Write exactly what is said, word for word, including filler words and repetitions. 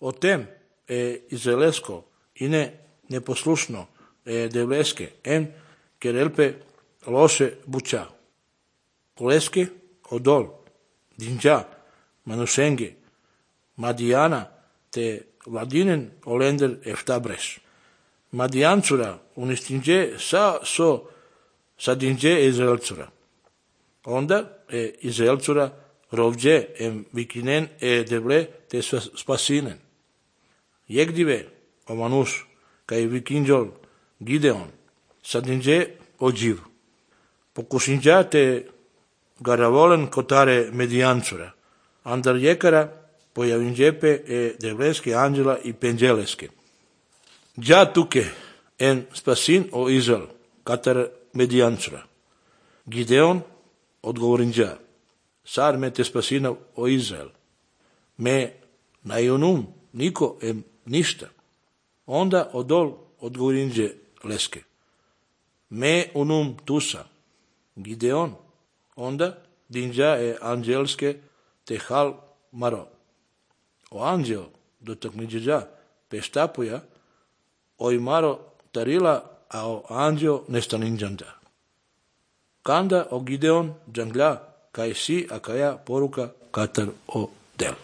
O tem e izraelsko ine neposlušno e devleske en kerelpe loše buča. Koleske odol, dinđa, manusenge, Madijana te vladinen olender eftabreš. Madijancura unistinđe sa so sa dinđe izraelcura. Onda e izraelcura rovđe em vikinen e devle te spasinen. Jegdive omanus kaj vikinđol Gideon sa dinđe ođiv. Pokušinđa te garavolen kotare Medijancura. Andar jekara pojavinđepe e devleske anđela i penđeleske. Đa tuke en spasin o Izrael, katar Medijancura. Gideon odgovorinđa, sar me te spasina o Izrael. Me najonum niko em ništa. Onda odol odgovorinđe leske. Me unum tusa. Gideon. Onda dinđa e anđelske te hal maro. O anđeo do takmiđeđa peštapuja oj maro tarila, a o anđeo nestaninđanda. Kanda o Gideon džangla kaj si a kaja poruka katar o del.